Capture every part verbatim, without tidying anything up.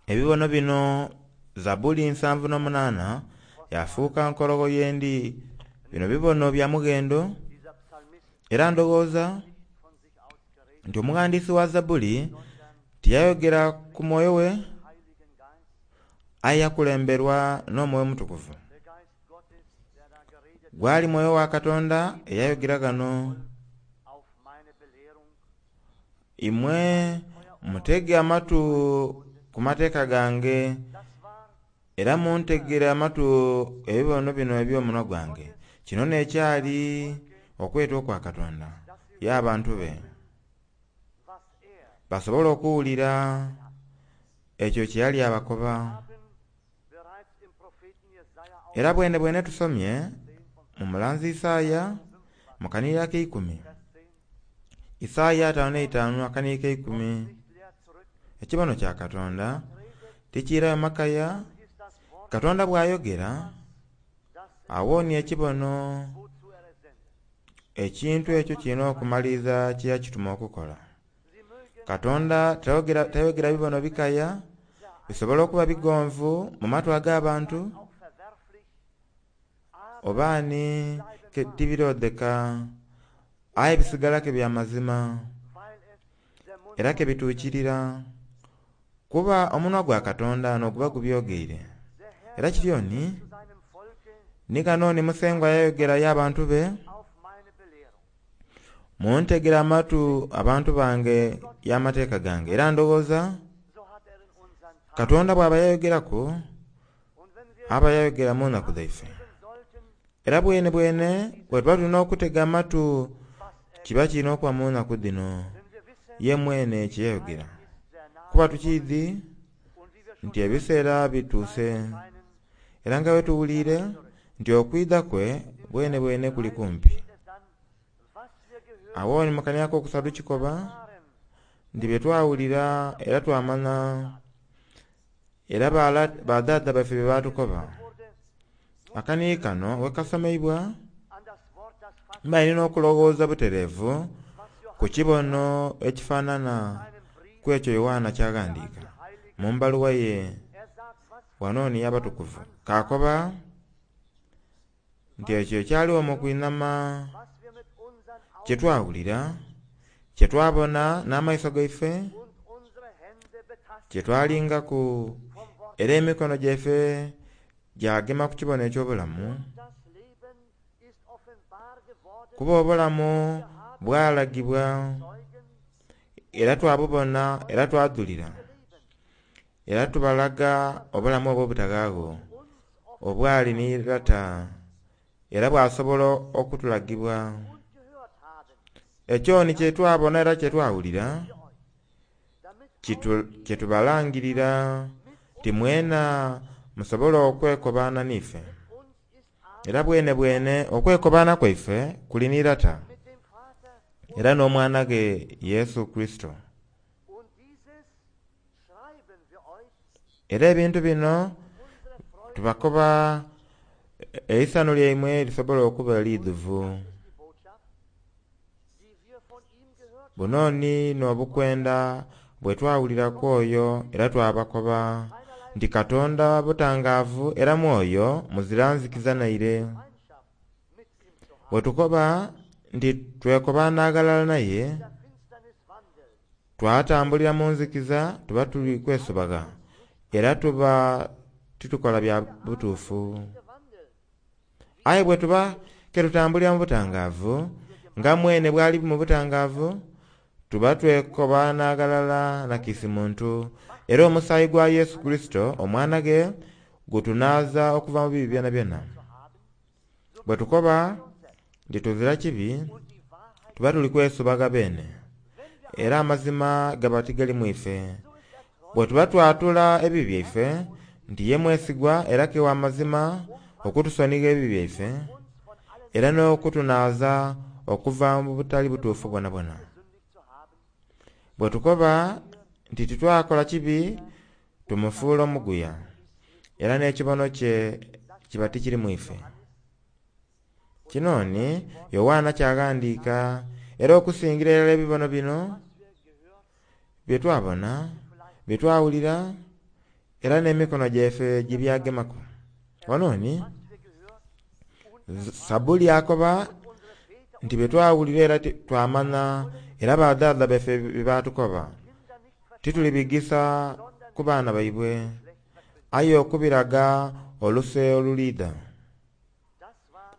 Ebibono bino Zabbuli nsanvu n'omunaana yafuuka nkologho yendi. Bino bibono bya mughendo era ndowooza nti omughandiisi wa Zabbuli tiyayogera ku mwoyo gwe aye yakulemberwa n'omwoyo omutukuvu. Gwali mwoyo wa Katonda eyayogera ghano. Imwe mutege amatu ku mateeka gange era muntegere amatu ebibono bino eby'omunhwa gwange. Kino n'ekyali okweta okwa Katonda y'abantu be basobole okuwulira ekyo kye yali abakoba. Era bwene bwene tusomye mu mulanzi Isaaya mu kanhiriri ak'eikumi, Isaaya ataanu n'eitaanu akanhiriri k'eikumi, ekibono kya Katonda tikiirayo makaya. Katonda bw'ayogera awonia ekibono, ekintu ekyo kirina okumaliriza kye yakituma okukola. Katonda tayogera, tayogera bibono bikaya, bisobola okuba bigonvu mu matu ag'abantu oba ni tibirodheka, aye bisigala ke bya mazima era ke bituukirira, kuba omunhwa gwa Katonda n'oguba gubyogeire. Era kityo ni ni ghano ni Musengwa yayogera y'abantu be, muntegere amatu abantu bange y'amateeka gange. Era ndowooza Katonda bw'aba yayogeraku aba yayogera mu nnaku dhaife. Era bwene bwene bwe tuba tulina okutega amatu kiba kirina okuba mu nnaku dhino ye mwene kye yayogera, kuba tukiidhi nti ebiseera bituuse era nga bwe tuwuliire nti okwidha kwe bwene bwene kuli kumpi. Awo ni mu kanhiriri akokusatu kikoba nti bye twawulira era twamanha era badhaadha baife bye batukoba. Akanhiriri kano wekasomeibwa mba nina okulowooza butereevu ku kibono ekifaanana ku ekyo Yoanna kyaghandiika mu mbaluwa ye wano ni y'abatukuvu. Kakoba nti ekyo ekyaligho mu kwinhama kye twawulira, kye twabona n'amaiso gaife, kye twalingaku era emikono gyaife gyagema ku kibono eky'obulamu, kuba obulamu bwalagibwa era twabubona era twadhulira era tubalaga obulamu obwo obutaghaagho obwali ni Lata era bwasobola okutulagibwa. Ekyo ni kye twabona era kye twawulira kye tubalangirira nti mwena musobole okwekobaana n'ife. Era bwene bwene okwekobaana kwaife kuli ni Lata era n'omwana ghe Yesu Kurisito. Era ebintu bino tubakoba eisanhu lyaimwe lisobole okuba eidhuvu. Buno ni n'obukwenda bwe twawulira ku oyo era twabakoba nti Katonda butangaavu era mwoyo muzira nzikiza naire. Bwe tukoba nti twekobaana aghalala naye, twatambulira mu nzikiza tuba tuli kwesobagha era tuba titukola bya butuufu. Aye bwe tuba ke tutambulira mu butangaavu nga mwene bwali mu butangaavu, tuba twekobaana aghalala na kiisi muntu, era omusaayi gwa Yesu Kurisito omwana ghe gutunaaza okuva mu bibi byonabyona. Bwe tukoba nti tuzira kibi, tuba tuli kwesobagha beene, era amazima gaba tigali mu ife. Bwe tuba twatula ebibi byaife nti ye mwesigwa era ke wa mazima okutusonigha ebibi byaife era n'okutunaaza okuva mu butali butuufu bwonabwona. Bwe tukoba nti titwakola kibi, tumufuula omuguya, era n'ekibono kye kiba tikiri mu ife. Kino ni Yoanna kyaghandiika era okusingira irala ebibono bino Bye twabona, bye twawulira, era n'emikono gyaife gibyagemaku. Wano ni Zabuli akoba nti bye twawulira era twamanya, era badhaadha baife bye batukoba, titulibigisa ku baana baibwe, aye okubiraga oluse oluliidha.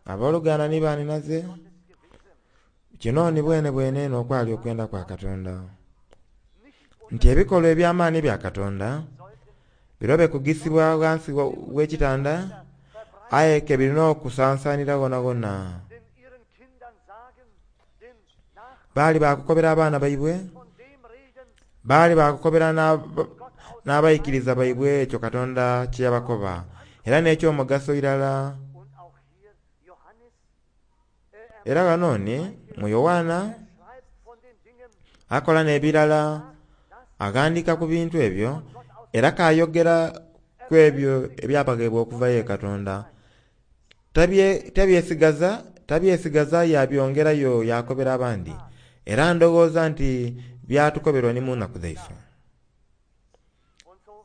Abooluganda ni baninaze, kino ni bwene bwene n'okwali okwenda kwa Katonda, nti ebikolwa eby'amaani bya Katonda birobe kugisibwa ghansi w'ekitanda, aye ke birina okusansanira ghonaghona. Baali bakukobera abaana baibwe, baali bakukobera n'abaikiriza baibwe ekyo Katonda kye yabakoba, era n'ekyomugaso irala. Era ghano ni mu Yoanna akola n'ebirala, aghandika ku bintu ebyo, era kayogera ku ebyo ebyabaghebwa okuva ye Katonda. Tabyesigaza tabyesigaza yabyongerayo yakobera abandi. Era ndowooza nti byatukoberwa ni mu nnaku dhaife.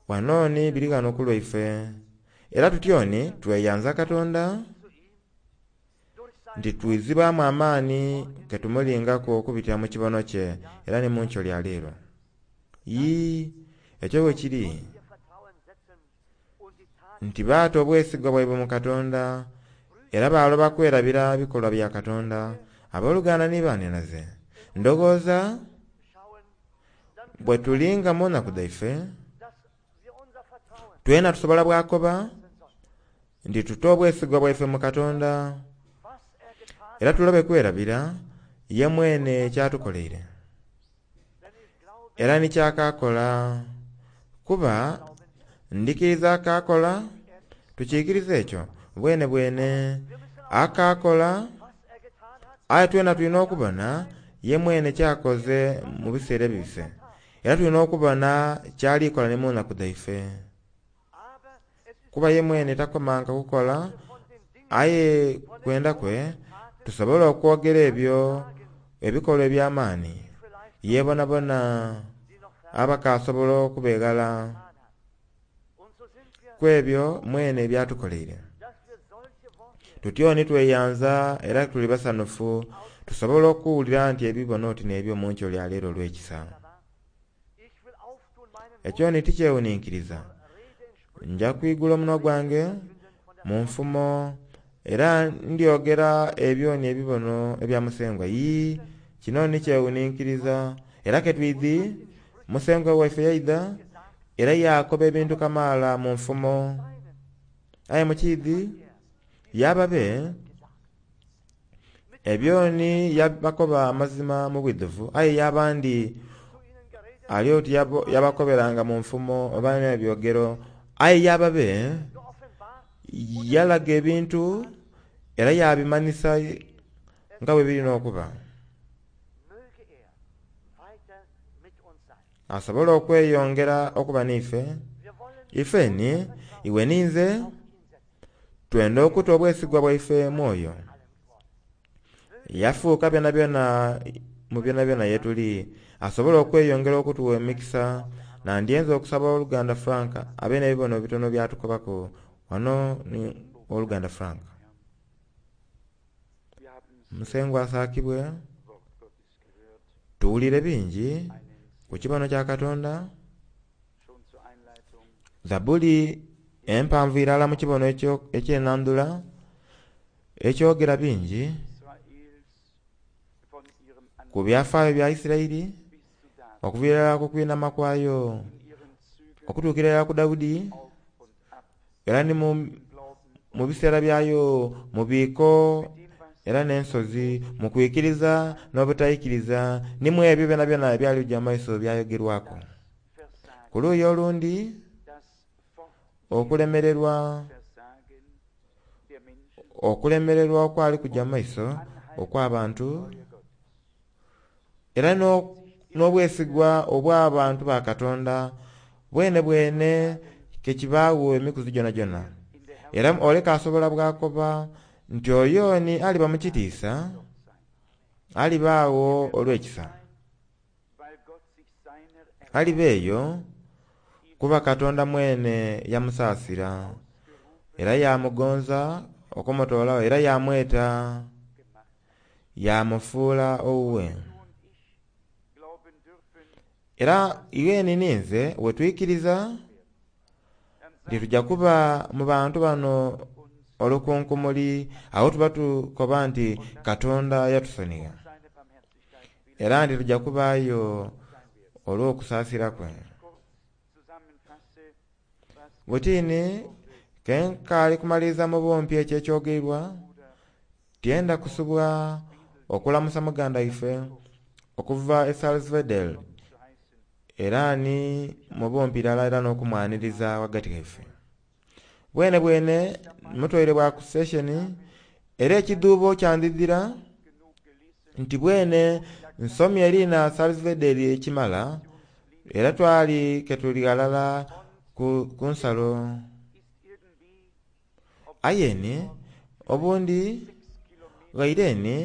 Wano ni biri ghano ku lwaife. Era tutyoni tweyanza Katonda nti twizibwamu amaani ketumulingaku okubitira mu kibono kye era ni mu nkyo lya leero. Ii, ekyo bwe kiri nti baata obwesigwa bwaibwe mu Katonda, era baloba kwerabira bikolwa bya Katonda. Abooluganda ni baninaze, ndowooza bwe tulinga mu nnaku dhaife, twena tusobola bwakoba nti tuta obwesigwa bwaife mu Katonda, era tulobe kwerabira ye mwene kyatukoleire, era ni kyakakola. Kuba ndikiriza akakola, tukiikiriza ekyo bwene bwene akakola, aye twena tulina okubona ye mwene kyakoze mu biseera ebibise, era tulina okubona kyalikola ni mu nnaku dhaife. Kuba ye mwene takomanga kukola, aye kwenda kwe tusobola okwogera ebyo ebikolwa eby'amaani yebonabona abakasobola okubeghala ku ebyo mwene ebyatukoleire. Tutyoni tweyanza era tuli basanufu tusobola okuwulira nti ebibono oti n'ebyo mu nkyo lya leero olw'ekisa. Ekyo ni tikyewuninkiriza. Nja kwigula omunwa gwange mu nfumo, era ndyogera ebyo ni ebibono ebya Musengwa. Ii, kino ni kyewuninkiriza. Era ketwidhi Musengwa waife yaidha era yakoba ebintu kamaala mu nfumo. Aye mukiidhi yababe ebyoni yabakoba amazima mu bwidhuvu, aye yabandi ali oti yabakoberanga mu nfumo oba n'ebyogero, aye yababe yalaga ebintu era yabimanisa nga bwe birina okuba. Asobola okweyongera okuba n'ife. Ife ni iwe ninze twenda okuta obwesigwa bwaife mwoyo. Yafuuka byona byona mu byona byona yetuli, asobola okweyongera okutuwa emikisa. Nandyenza okusaba oluganda Frank abe n'ebibono bitono byatukobaku. Wano ni oluganda Frank. Musengwa asaakibwe. Tuwulire bingi ku kibono kya Katonda. Zabuli empanvu irala mu kibono ekyenandula ekyogera bingi ku byafaayo bya Isirairi, okuviira irala ku kwinama kwayo okutuukira irala ku Dawudi, era ni mu biseera byayo mu biiko era n'ensozi, mu kwikiriza n'obutaikiriza, ni mu ebyo byonabyona ebyali bijja mu maiso byayogerwaku. Ku luuyi olundi, okulemererwa okulemererwa okwali kujja mu maiso okw'abantu, era n'obwesigwa obw'abantu ba Katonda bwene bwene kekibaawo emikuzi gyonagyona. Era oleka asobola bwakoba nti oyo ni aliba mu kitiisa, alibaawo olw'ekisa. Aliba eyo kuba Katonda mwene yamusaasira era yamugonza okumutoolawo era yamweta yamufuula owuwe. Era iweni ninze wetwikiriza nti tujja kuba mu bantu bano olukunkumuli, awo tuba tukoba nti Katonda yatusonigha era nti tujja kubaayo olw'okusaasira kwe. Butini kenkaali kumaliriza mu bumpi ekyo ekyogeibwa, tyenda kusubwa okulamusa muganda ife okuva e Salzwedel era ni mu bumpi irala era n'okumwaniriza ghagati ghaife. Bwene bwene mutwaire bwa ku station era ekidhuubo kyandidhira nti bwene nsomye eriina Salzwedel ekimala era twali ketuli ghalala ku, ku nsalo. Aye ni obundi ghaire ni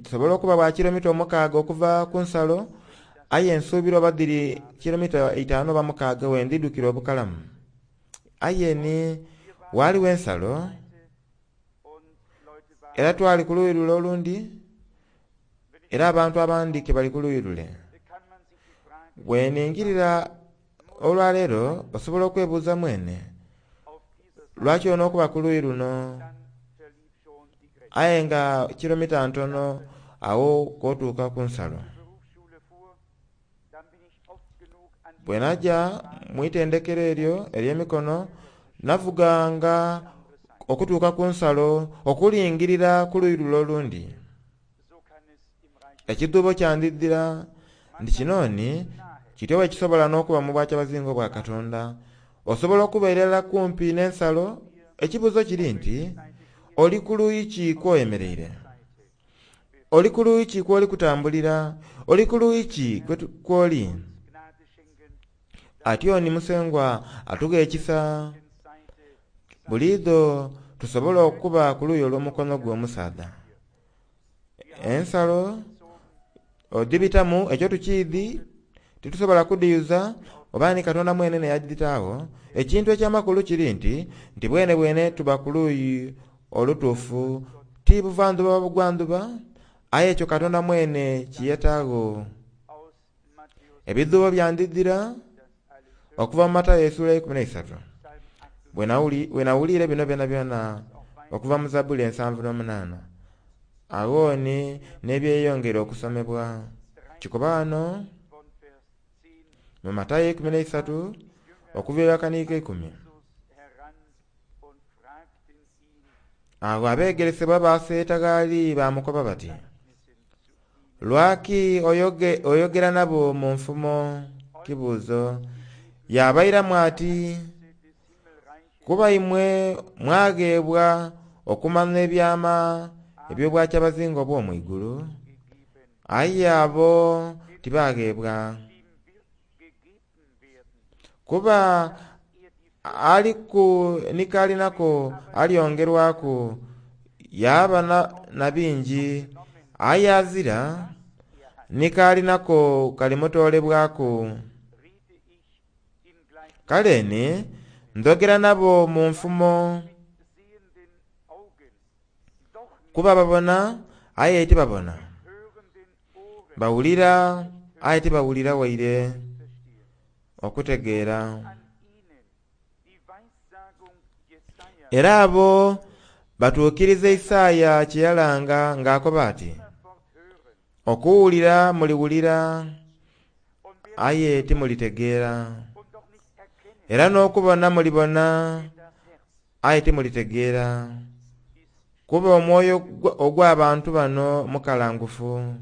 tusobola okuba bwa kilomita omukaaga okuva ku nsalo, aye nsuubira oba dhiri kilomita itaanu oba mukaaga wendidhukira obukalamu. Aye ni waliwo ensalo era twali ku luuyi lule olundi era abantu abandi ke bali ku luuyi lule. Bweningirira olwaleero osobola okwebuuza mwene lwaki onookuba ku luuyi luno, aye nga kilomita ntono awo kwotuuka ku nsalo. Bwe najja mu itendekero eryo ery'emikono navuganga okutuuka ku nsalo okulingirira ku luuyi lule olundi. Ekidhuubo kyandidhira nti kino ni kityo bwe kisobola n'okuba mu bwakyabazinga obwa Katonda. Osobola okubeera irala kumpi n'ensalo, ekibuuzo kiri nti oli ku luuyi ki kw'oyemereire? Oli ku luuyi ki kw'oli kutambulira? Oli ku luuyi ki kw'oli? Atyo ni Musengwa atugha ekisa buliidho tusobola okuba ku luuyi olw'omukono gwe omusaadha. Ensalo odhibitamu ekyo tukiidhi titusobola kudhiyuza oba ni Katonda mwene neyadhitaagho. Ekintu ekyamakulu kiri nti nti bwene bwene tuba ku luuyi olutuufu, ti buvandhuba oba bugwandhuba, aye ekyo Katonda mwene kiyetaagho. Ebidhuubo byandidhira okuva mu Matayo essuula eikumi n'eisatu. Bwe nawuliire bino byonabyona okuva mu Zabbuli ensanvu n'omunaana, agho ni n'ebyeyongera okusomebwa. Kikoba ghano mu Matayo eikumi n'eisatu okuviira akaniiko eikumi. Agho abeegeresebwa baaseeta ghali baamukoba bati, lwaki oyoge, oyogera nabo mu nfumo? Kibuuzo. Yabairamu ati, kuba imwe mwagheebwa okumanya ebyama eby'obwakyabazinga obw'omwigulu, aye abo tibagheebwa. Kuba aliku ni k'alinako alyongerwaku yaaba na, na bingi, aye azira ni k'alinako kalimutoolebwaku. Kale ni ndhogera nabo mu nfumo kuba babona aye tibabona, bawulira aye tibawulira waire okutegeera. Era abo batuukiriza Isaaya kye yalanga ng'akoba ati, okuwulira muliwulira aye timulitegeera, era n'okubona mulibona aye timulitegeera. Kuba omwoyo ogw'abantu bano mukalangufu,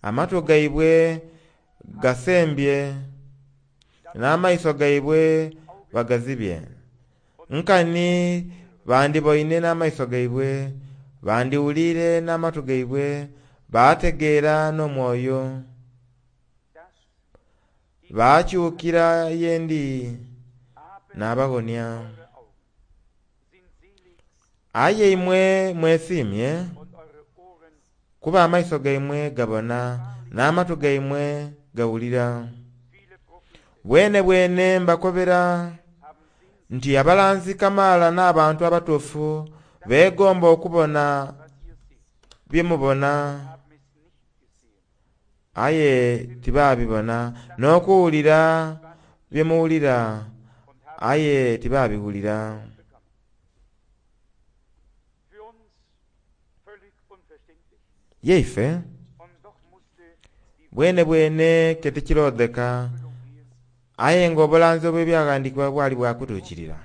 amatu gaibwe gasembye n'amaiso gaibwe bagazibye. Nkani bandiboine n'amaiso gaibwe, bandiwuliire n'amatu gaibwe, baategeera n'omwoyo, baakyukira ye ndi n'abaghonia. Aye imwe mwesiimye kuba amaiso gaimwe gabona n'amatu gaimwe gawulira. Bwene bwene mbakobera nti abalanzi kamaala n'abantu abatuufu beegomba okubona bye mubona, aye tibaabibona, n'okuwulira bye muwulira, aye tibabiwulira. Für uns völlig unverständlich. Yeife Und doch musste die bwene bwene ke tikirodheka, aye nga obulanzi obw'ebyaghandiikibwa bwali bwakutuukirira.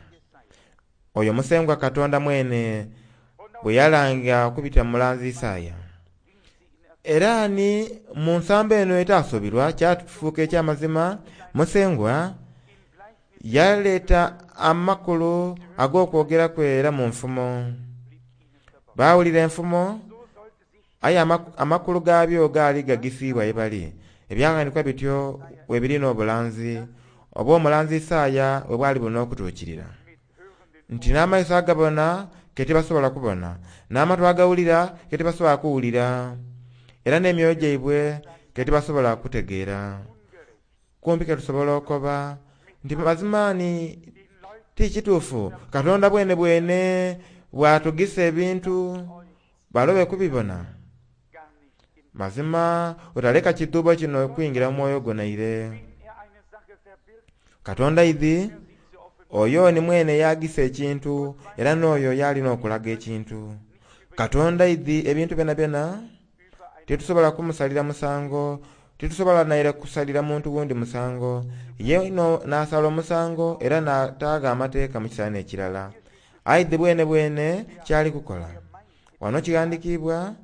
Oyo Musengwa Katonda mwene bwe yalanga okubitira mu mulanzi Isaaya. Era ni mu nsambo eno etaasuubirwa kyatufuuka eky'amazima, Musengwa yaleeta amakulu ag'okwogera kwe era mu nfumo. Baawulira enfumo, aye ama- amakulu gaabyo gaali gagisiibwa ye bali. Ebyaghandiikibwa bityo we biri n'obulanzi obw'omulanzi Isaaya bwe bwali bulina okutuukirira. Nti n'amaiso agabona ke tibasobola kubona, n'amatu agawulira ke tibasobola kuwulira, era n'emyoyo gyaibwe ke tibasobola kutegeera. Kumpi ke tusobola okoba nti mazima ni ti kituufu Katonda bwene bwene bw'atugisa ebintu balobe kubibona. gar nicht in Mazima otaleka kidhuubo kino okuyingira mu mwoyo gwo naire. Wenn er eine Sache verbirgt, Katonda idhi er sie zu offenbaren. oyo ni mwene yagisa ekintu era n'oyo yalina okulaga ekintu. Katonda idhi ebintu byonabyona titusobola kumusalira musango, titusobola naire kusalira muntu wundi musango. Ye no n'asala omusango era n'ataaga amateeka mu kiseera n'ekirala. Aidhi bwene bwene kyali kukola. Wano kighandiikibwa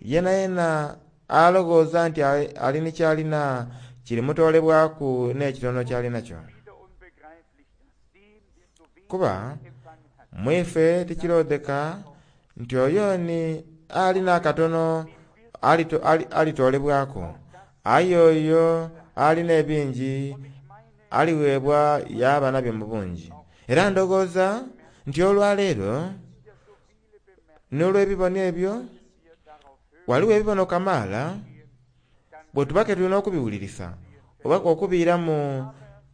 yena yena alowooza nti ali ali ni kyalina kirimutoolebwaku n'ekitono ky'alinakyo. Wieder unbegreiflich, dass dem, der so wenig Kuba empfangen hat, mwife tikirodheka nti oyo ni alina akatono alito- ali- alitoolebwaku, aye oyo alina ebingi aliweebwa yaaba nabyo mu bungi. Era ndowooza nti olwaleero n'olw'ebibono ebyo waliwo ebibono kamaala bwe tuba ke tulina okubiwulirisa oba okubiiramu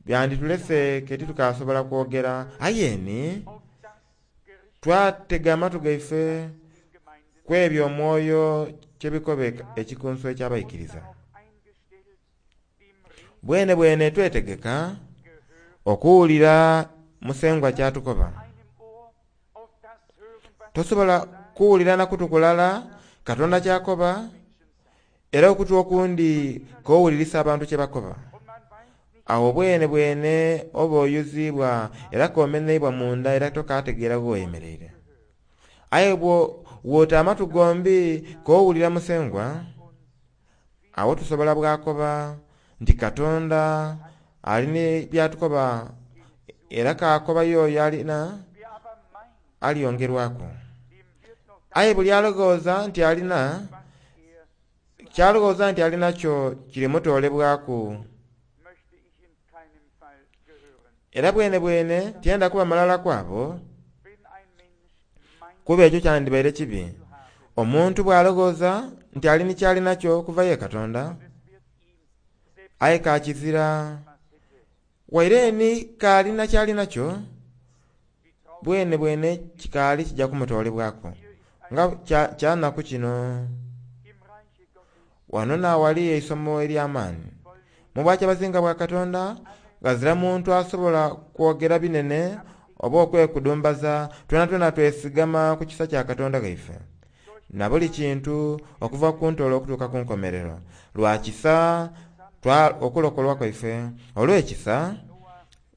byanditulese ke titukasobola kwogera. Aye ni auf das Gericht twatega amatu gaife Gemeinden ku ebyo omwoyo kyebikoba ekikunsu eky'abaikiriza. darauf eingestellt, dem Reden Bwene bwene twetegeka Gehör okuwulira Musengwa ky'atukoba. einem Ohr auf das hören, was Tosobola kuwulira na kutu kulala Katonda ky'akoba, era okutu okundi k'owulirisa abantu kye bakoba. und man weiß nicht, Awo bwene bwene oba oyuziibwa era k'omenheibwa munda era tokategeera gh'oyemeleire. Aye bwo bw'ota amatu gombi k'owulira Musengwa, awo tusobola bwakoba nti Katonda alina by'atukoba era k'akoba y'oyo alina wer aber meint, aliyongerwaku. dem wird noch Aye buli alowooza nti alina, was er ky'alowooza nti alinakyo kirimutoolebwaku. möchte ich in keinem Fall gehören. Era bwene bwene tyenda kuba malala kwabo, Wenn ein Mensch meint kuba ekyo kyandibaire kibi. zu haben, Omuntu bw'alowooza nti ali ni ky'alinakyo okuva ye Katonda, es wird ihm selbst aye kakizira was hätte. waire ni k'alina ky'alinakyo, Wie traurig bwene bwene kikaali kijja kumutoolebwaku. hier ist ein Nga kya- kyanaku kino im Reiche Gottes wano naawali eisomo ery'amaanyi. Mu bwakyabazinga bwa Katonda ghazira muntu asobola kwogera binene oba okwekudumbaza, twena twesigama ku kisa kya Katonda ghaife. Na buli kintu okuva ku ntoolo okutuuka ku nkomerero. Lwa kisa twa okulokolwa kwaife. Olw'ekisa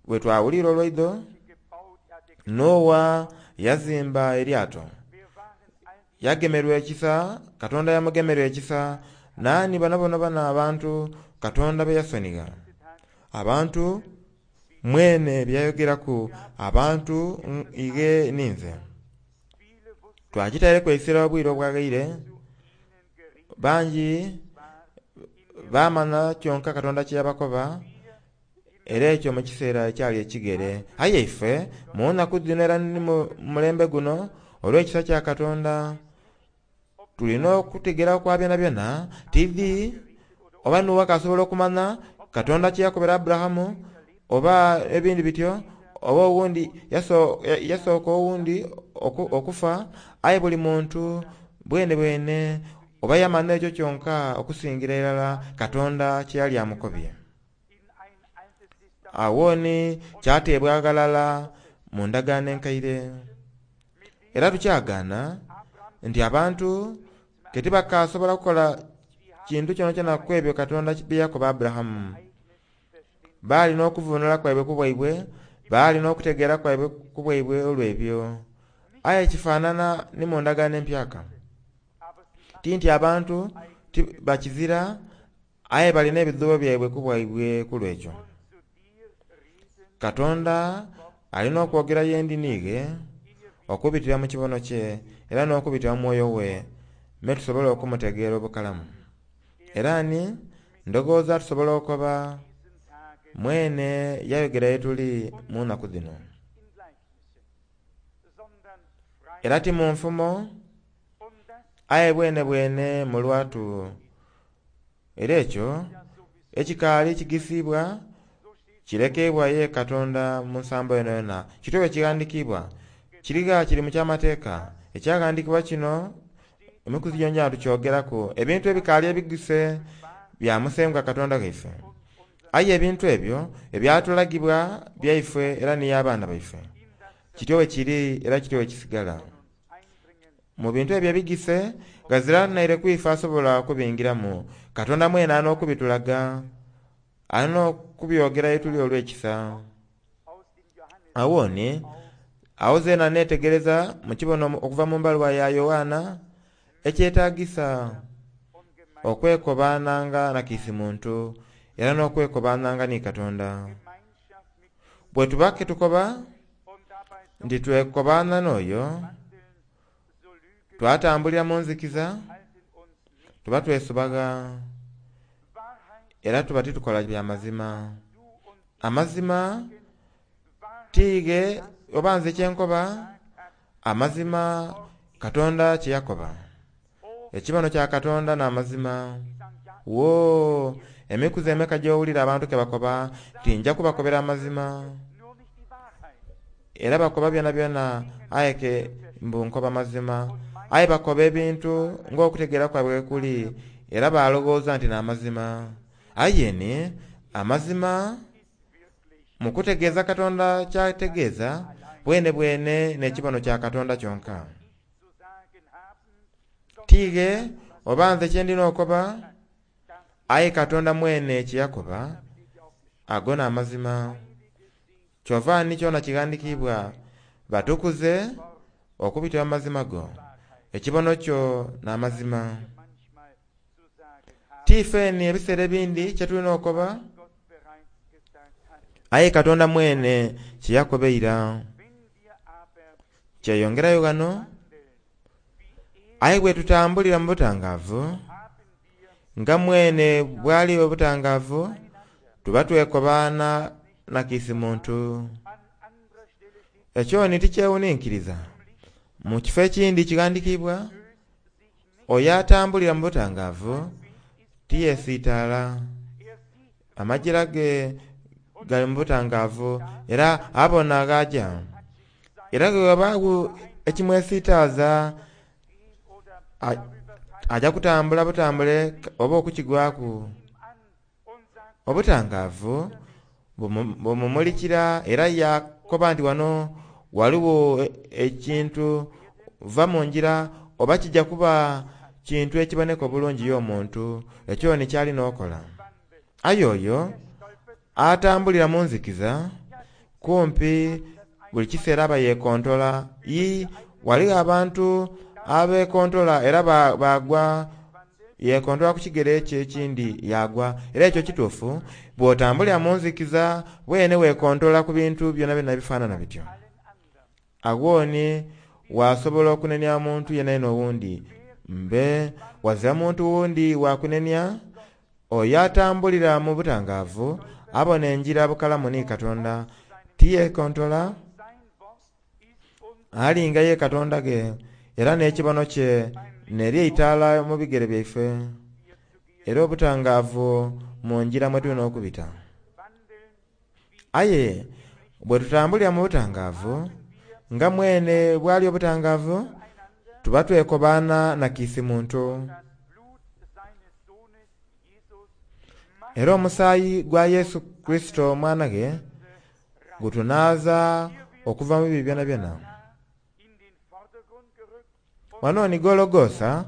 bwe twawulira olwaidho, gebaut, er hatte Nowa yazimba eryato. wir waren all die Yagemerwa ekisa, Katonda yamugemerwa ekisa, naani bano bono bano abantu Katonda be yasonigha. Abantu mwene byayogeraku abantu mm, ighe ninze. viele wussten Twakitaireku eisira obwire obwaghaire, zu ihnen gerichtet bangi war in baamanya kyonka Katonda kye yabakoba, era ekyo mu kiseera ekyali ekigere. Aye ife mu nnaku dhino era ni mu mulembe guno olw'ekisa kya Katonda tulina okutegera kwa byonabyona tidhi Oba Nuuwa kasobola okumanya Katonda kye yakobera Aburahamu, oba ebindi bityo, oba owundi yasooka owundi okufa, aye buli muntu bwene bwene oba yamanya ekyo kyonka okusingira irala Katonda kye yali amukobye. Awo ni kyateebwa ghalala mu ndagaano enkaire. Era tukyagaana nti abantu ke tibakasobola kukola kintu kyonakyona ku ebyo Katonda bye yakoba Aburahamu. Baali n'okuvunula kwaibwe ku bwaibwe, baali n'okutegeera kwaibwe ku bwaibwe olw'ebyo. Aye kifaanana ni mu ndagaano empyaka. Ti nti abantu bakizira, aye balina ebidhuubo byaibwe ku bwaibwe ku lw'ekyo. Katonda alina okwogera yendi niighe okubitira mu kibono kye era n'okubitira mu mwoyo we, me tusobole okumutegeera obukalamu. Era ni ndowooza tusobola okuba mwene yayogera ye tuli mu nnaku dhino. Era ti mu nfumo, aye bwene bwene mu lwatu. Era ekyo ekikaali kigisiibwa kirekebwa ye Katonda mu nsambo yonayona. Kityo bwe kighandiikibwa, kirigha kiri mu kyamateeka. Ekyaghandiikibwa kino emikuzi gyongyona tukyogeraku. Ebintu ebikaali ebigise bya Musengwa Katonda waife. Aye ebintu ebyo ebyatulagibwa byaife era ni abaana baife. Kityo bwe kiri era kityo bwe kisigala. Mu bintu ebyo ebigise ghazira naire kwife asobola kubingiramu. Katonda mwene alina okubitulaga, alina okubyogera ye tuli olw'ekisa. Awo ni awo zeena neetegereza mu kibono okuva mu mbaluwa ya Yoanna ekyetaagisa okwekobaananga na kiisi muntu era n'okwekobaananga ni Katonda. Bwe tuba ke tukoba nti twekobaana n'oyo, twatambulira mu nzikiza, tuba twesubaga era tuba titukola bya mazima. Amazima tiighe oba nze kyenkoba, amazima Katonda kye yakoba. Ekibono kya Katonda n'amazima. Woo, emikuzi emeka gy'owulira abantu ke bakoba nti nja kubakobera amazima. Era bakoba byonabyona aye ke mbu nkoba mazima. Aye bakoba ebintu ng'okutegeera kwaibwe kuli, era balowooza nti n'amazima. Aye ni amazima mu kutegeeza Katonda kyategeeza bwene bwene n'ekibono kya Katonda kyonka. Tiighe oba nze kye ndina okukoba, aye Katonda mwene kye yakoba, ago n'amazima. Kyova ni kyona kighandiikibwa, batukuze okubitira mu mazima go. Ekibono kyo n'amazima. Ti ifeeni ebiseera ebindi kye tulina okukoba, aye Katonda mwene kye yakoba eira. Kyeyongerayo ghano, aye bwe tutambulira mu butangaavu, nga mwene bw'ali obutangaavu, tuba twekobaana na kiisi muntu. Ekyo ni tikyewuninkiriza. Mu kifo ekindi kighandiikibwa, oyo atambulira mu butangaavu tiyeesiitaala. Amajira ge gali mu butangaavu era abona gh'aja. Era bwe ghabaagho ekimwesiitaaza, aja kutambula butambule oba okukigwaku. Obutangaavu bumumulikira era yakoba nti wano ghaligho ekintu va mu ngira oba kijja kuba kintu ekiboneka obulungi y'omuntu, ekyo ni ky'alina okukola. Aye oyo atambulira mu nzikiza kumpi buli kiseera aba yeekontola. Ii, ghaligho abantu abeekontola era bagwa, yeekontola ku kigere ekyo ekindi yagwa. Era ekyo kituufu, bw'otambulira mu nzikiza bwene weekontola ku bintu byonabyona ebifaanana bityo. Agho ni wasobola okunenia muntu yenayena owundi. Mbe wazira muntu wundi wakunenia, oyo atambulira mu butangaavu abona engira bukalamu ni Katonda. Tiyeekontola, alinga ye Katonda ge, era n'ekibono kye n'eri eitaala mu bigere byaife. era obutangaavu mu ngira mwe tulina okubita. Aye bwe tutambulira mu butangaavu nga mwene bwali obutangaavu, tuba twekobaana na kiisi muntu. Era omusaayi gwa Yesu Kurisito omwana ghe gutunaaza okuva mu bibi byonabyona. Wano ni Gologosa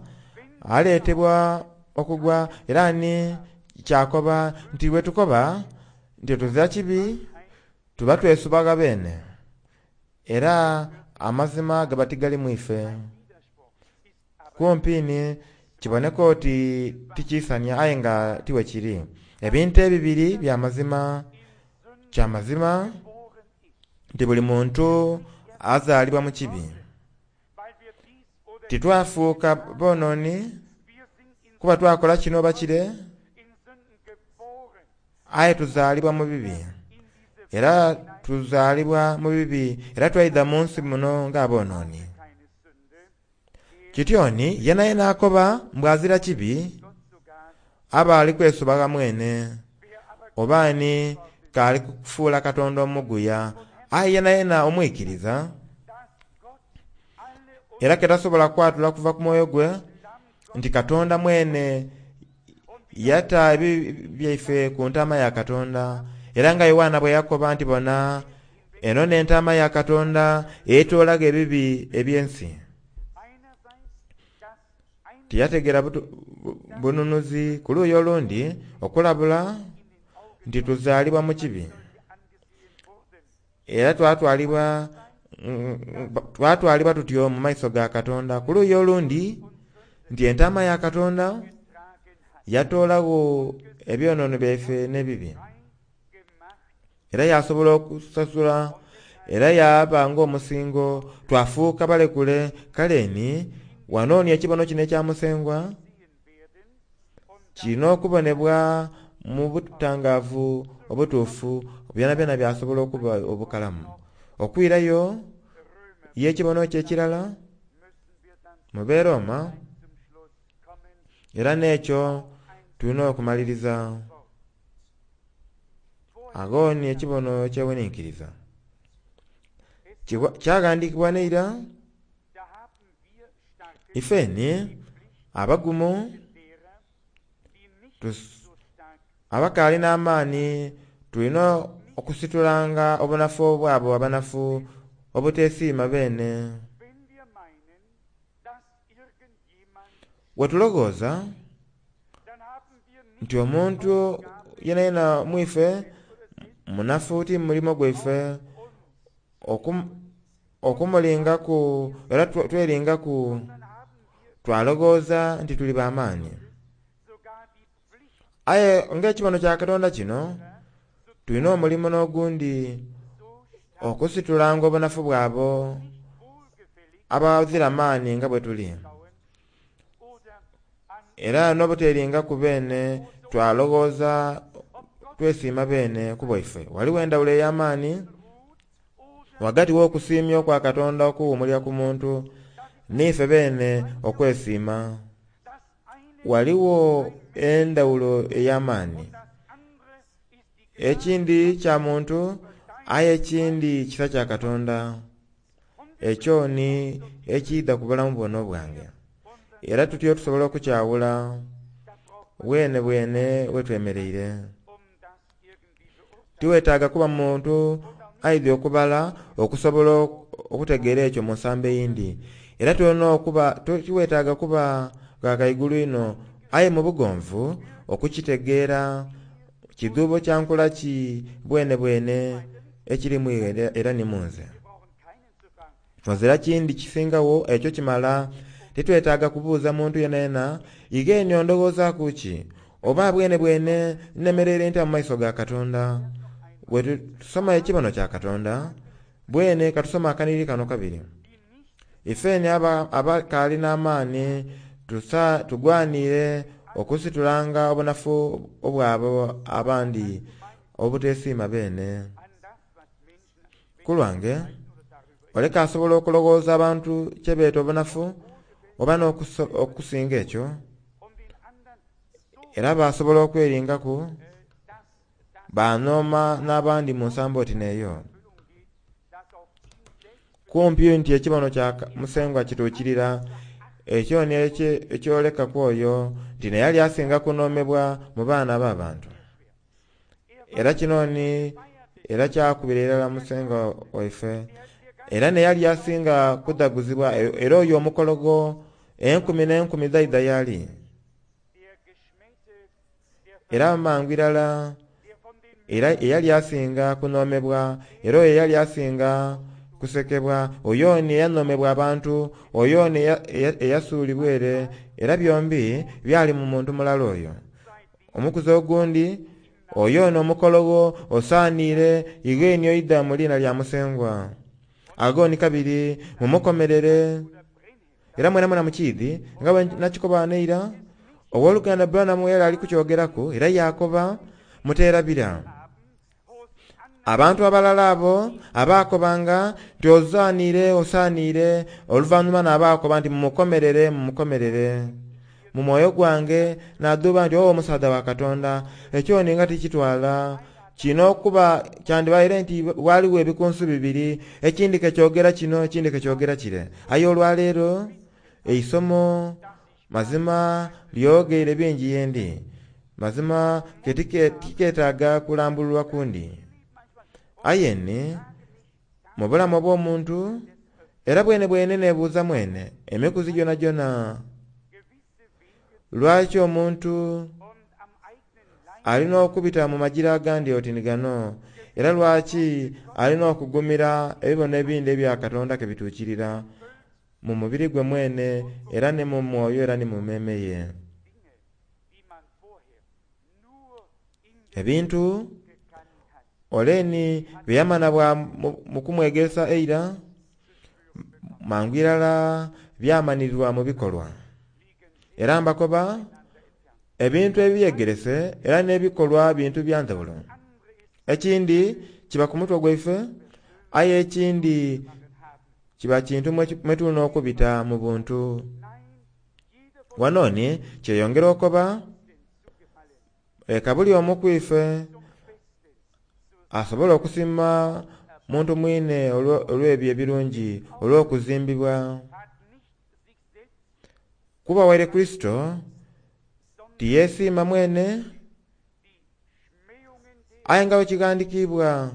aleetebwa okugwa, era ni kyakoba nti bwe tukoba nti tuzira kibi tuba twesubaga beene, era amazima gaba tigali mu ife. Kumpi ni kiboneka oti tikiisania aye nga tiwe kiri. Ebintu ebibiri bya mazima. Kya mazima nti buli muntu azaalibwa mu kibi. Titwafuuka bonooni kuba twakola kino oba kire, aye tuzaalibwa mu bibi. Era tuzaalibwa mu bibi, era twaidha mu nsi muno ng'abonooni. Kityoni yena yena akoba mbw azira kibi aba ali kwesubaga mwene, oba ni kaali kufuula Katonda omuguya. Aye yena yena omwikiriza era ke tasobola kwatula kuva ku mwoyo gwe nti Katonda mwene yata ebibi byaife ku ntaama ya Katonda. Era nga Yoanna bwe yakoba nti bona eno n'entaama ya Katonda etoolaga ebibi eby'ensi. Tiyategeera bununuzi. Ku luuyi olundi okulabula nti tuzaalibwa mu kibi, era twatwalibwa twatwalibwa tutyo mu maiso ga Katonda. Ku luuyi olundi nti entaama ya Katonda yatoolagho ebyonoono byaife n'ebibi, era yasobola okusasula, era yaba ng'omusingo, twafuuka balekule. Kale ni wano ni ekibono kino ekya Musengwa kirina okubonebwa mu butangaavu obutuufu, byonabyona byasobola okuba obukalamu. Okwirayo y'ekibono kye ekirala mu Beroma, era n'ekyo tulina okumaliriza. Agho ni ekibono ekyewuninkiriza kyaghandiikibwa neira. Ifeni abagumu abakaali n'amaani tulina okusitulanga obunafu obwabo abanafu obuteesiima beene. Bwe tulowooza nti omuntu yenayena mu ife munafu, ti mulimo gwaife okumulingaku, era tweringaku twalowooza nti tuli b'amaani. Aye ng'ekibono kya Katonda kino, tulina omulimo n'ogundi okusitulanga obunafu bwabo abazira maani nga bwe tuli, era n'obuteringaku beene twalowooza twesiima beene ku bwaife. Waliwo endawulo ey'amaani ghagati w'okusiimya okwa Katonda okuwuumulira ku muntu n'ife beene okwesiima. Waliwo endawulo ey'amaani. Ekindi kya muntu aye ekindi kisa kya Katonda. Ekyo ni ekiidha ku bulamu buno obwange. Era tutyo tusobola okukyawula bwene bwene wetwemereire. Tiwetaaga kuba muntu aidhi okubala okusobola okutegeera ekyo mu nsambo eyindi. Era tulina okuba tiwetaaga kuba ghakaigulu ino, aye mu bugonvu okukitegeera kidhuubo kya nkola ki bwene bwene ekiri mu iwe era ni mu nze. Ozira kindi kisingawo ekyo kimala. Titwetaaga kubuuza muntu yenayena igeni ondowoozaaku ki, oba bwene bwene nnemereire ntya mu maiso ga Katonda. Bwe tusoma ekibono kya Katonda bwene katusoma akaniri kano kabiri. Ifeni abakaali n'amaani tugwanire okusitulanga obunafu obwabo abandi obuteesiima beene. Ku lwange oleka asobola okulowooza abantu kye beeta obunafu oba n'okusinga ekyo, Era basobola okweringaku banhooma n'abandi mu nsambo oti n'eyo. Kumpi nti ekibono kya Musengwa kituukirira, ekyo ni ekyoleka ku oyo nti neyali asinga kunhoomebwa mu baana b'abantu. Era kino ni era kyakubira irala Musengwa waife. Era neyali asinga kudhaguzibwa, era oyo omukologo enkumi n'enkumi dhaidha y'ali. Era mangu irala era eyali asinga kunhoomebwa, era oyo eyali asinga kusekebwa, oyo ni eyanhoomebwa abantu, oyo ni eyasuulibwa ere, era byombi byali mu muntu mulala oyo. Omukuzi ogundi oyo n'omukologo osaaniire ighe oidha mu liina lya Musengwa. Ago ni kabiri mumukomerere. Era mwena mwena mukiidhi nga bwe nakikoba neira, ow'oluganda Branham yali ali kukyogeraku era yakoba muteerabira. Abantu abalala abo abaakobanga nti osaaniire osaaniire, oluvannyuma n'abaakoba nti mumukomerere mumukomerere. Mu mwoyo gwange nadhuuba nti owo omusaadha wa Katonda ekyo ni nga tikitwala kino okuba kyandibaire nti waliwo ebikunsu bibiri, ekindi kekyogera kino ekindi kekyogera kire. Aye olwaleero eisomo mazima lyogeire bingi yendi, mazima tiketaaga kulambululwa kundi. Aye ni mu bulamu obw'omuntu era bwene bwene neebuuza mwene emikuzi gyonagyona, lwaki omuntu alina okubita mu magira agandi oti ni gano, era lwaki alina okugumira ebibono ebindi ebya Katonda ke bituukirira mu mubiri gwe mwene era ni mu mwoyo era ni mu mmeeme ye. Ebintu oleni bye yamana bwa mu kumwegeresa eira mangu irala byamanirirwa mu bikolwa. Era mbakoba ebintu ebyegerese era n'ebikolwa bintu bya ndhawulo. Ekindi kiba ku mutwe gwaife, aye ekindi kiba kintu mwe tulina okubita mu buntu. Wano ni kyeyongera okoba leka buli omu ku ife asobola okusiima muntu mwine olw'ebyo ebirungi olw'okuzimbibwa. Kuba waire Kurisito tiyeesiima mwene, aye nga bwe kighandiikibwa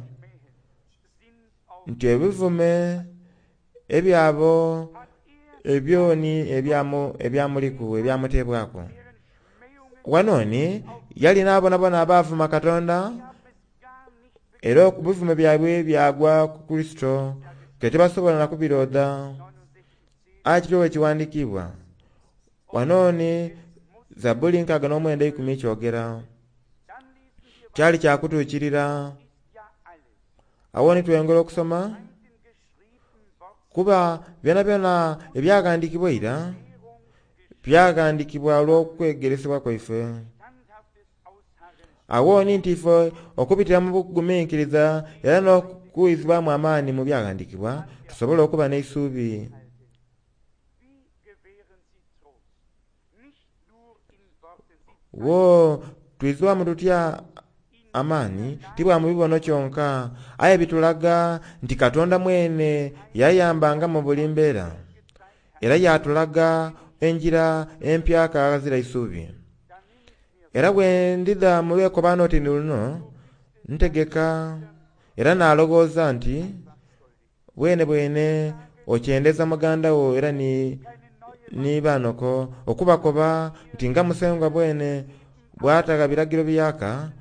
nti ebivume ebyabo ebyoni ebyamuliku ebyamuteebwaku. Wano ni yali n'abonabona abaavuma Katonda, era ebivume byabwe byagwa ku Kurisito ke tibasobola na kubiroodha. Aye kityo bwe kiwandiikibwa. Wano ni Zabbuli nkaaga n'omwenda eikumi kyogera. Kyali kyakutuukirira. Awo ni tweyongera okusoma, kuba byonabyona ebyaghandiikibwa eira byaghandiikibwa olw'okwegeresebwa kwaife. Awo ni nti ife okubitira mu buguminkiriza era n'okuwizibwamu amaani mu byaghandiikibwa tusobole okuba n'eisuubi. Wo twizibwamu tutya amaani tibwa mu bibono kyonka, aye bitulaga nti Katonda mwene yayambanga mu buli mbeera, era yatulaga enjira empyaka aghazira isuubi. Era bwe ndidha mu lwekobaano oti ni luno ntegeka era nalowooza nti bwene bwene okyendeza muganda wo era ni ni banoko okubakoba nti nga Musengwa bwene bw'atagha biragiro biyaka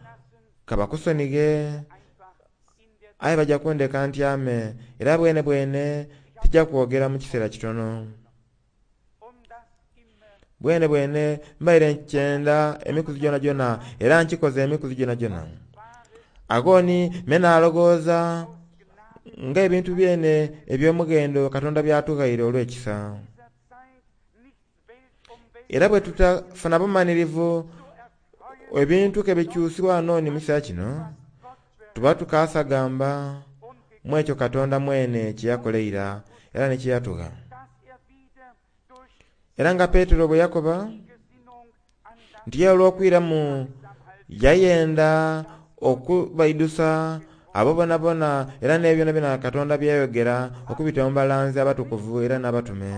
kabakusonighe, aye bajja kundeka ntyame, era bwene bwene tijja kwogera mu kiseera kitono. Bwene bwene mbaire nkyenda emikuzi gyonagyona era nkikoze emikuzi gyonagyona. Ago ni me nalowooza nga ebintu byene eby'omughendo Katonda byatughaire olw'ekisa. Era bwe tutafuna bumanirivu ebintu ke bikyusibwa wano ni mu kiseera kino, tuba tukasagamba mu ekyo Katonda mwene kye yakola eira era ni kye yatugha. Era nga Petero bwe yakoba Nti ye olw'okwiramu yayenda okubaidusa abo bonabona era n'ebyo byona Katonda byayogera okubita mu balanzi abatukuvu era n'abatume.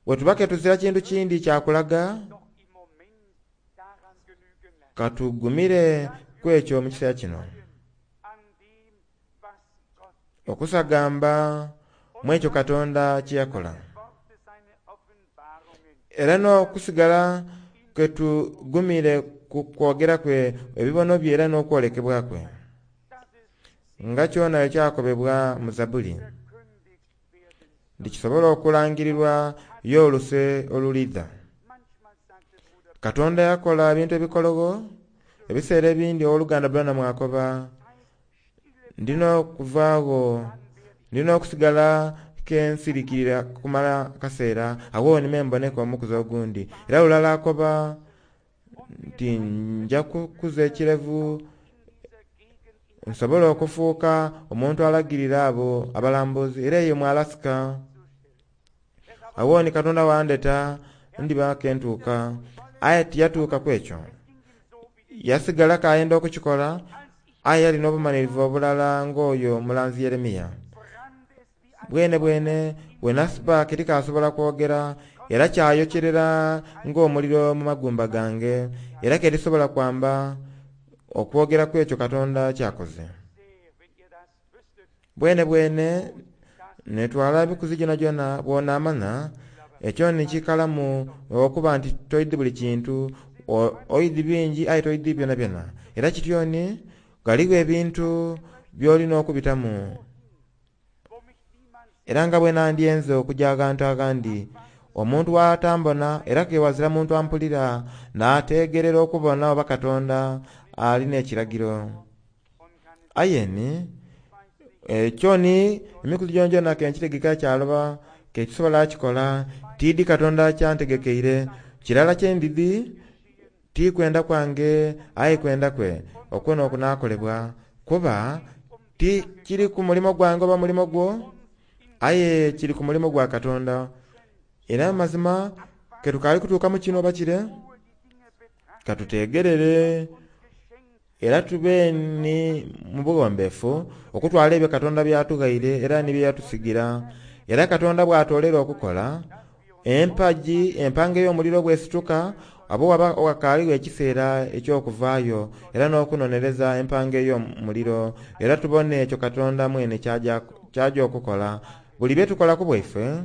Bwe tuba ke tuzira kintu kindi kyakulaga, katugumire ku ekyo mu kiseera kino. Okusagamba mu ekyo Katonda kye yakola. Era n'okusigala ke tugumire ku kwogera kwe ebibono bye era n'okwolekebwa kwe. Nga kyona ekyakobebwa mu Zabuli. Ndikisobola okulangirirwa y'oluse olulidha. Katonda yakola ebintu ebikologo, ebiseera ebindi owooluganda Branham akoba ndina okuvaagho, ndina okusigala kensirikirira kumala kaseera awo nime mboneka omukuzi ogundi. Era lulala akoba nti nja kukuza ekirevu nsobola okufuuka omuntu alagirira abo abalambuzi era eyo mu Alaska. Awo ni Katonda wandeta ndiba kentuuka, aye tiyatuuka ku ekyo. Yasigala kayenda okukikola, aye yalina obumalirivu obulala ng'oyo mulanzi Yeremiya. Bwene bwene bwe nasiba tikasobola kwogera era kyayokyerera ng'omuliro mu magumba gange era ke tisobola kwamba okwogera ku ekyo Katonda kyakoze. Bwene bwene netwala ebikuzi gyona bw'onaamanya ekyo nikikalamu okuba nti toidi buli kintu, oidi bingi aye toidi byona byona. Era kityoni ghaligho ebintu by'olina okubitamu. Era nga bwe nandyenze okujja aghantu aghandi, omuntu bw'atambona era ke wazira muntu ampulira n'ategerera okubona oba Katonda alina ekiragiro. Aye ni ekyo ni emikuzi gyongyona ke nkitegeka kyaloba ke kisobola kikola tiidi Katonda kyantegekeire. Kirala kye ndidhi ti kwenda kwange aye kwenda kwe okwo n'okunaakolebwa, kuba ti kiri ku mulimo gwange oba mulimo gwo, aye kiri ku mulimo gwa Katonda. Era mazima ke tukaali kutuuka mu kino oba kire, katutegerere era tube ni mu buwombeefu okutwala ebyo Katonda byatughaire era ni bye yatusigira. Era Katonda bw'atoolera okukola, empagi empanga ey'omuliro bwesituka, abo waba wakaaligho ekiseera eky'okuvaayo era n'okunonereza empanga ey'omuliro, era tubone ekyo Katonda mwene kyaja okukola. Buli bye tukola ku bwaife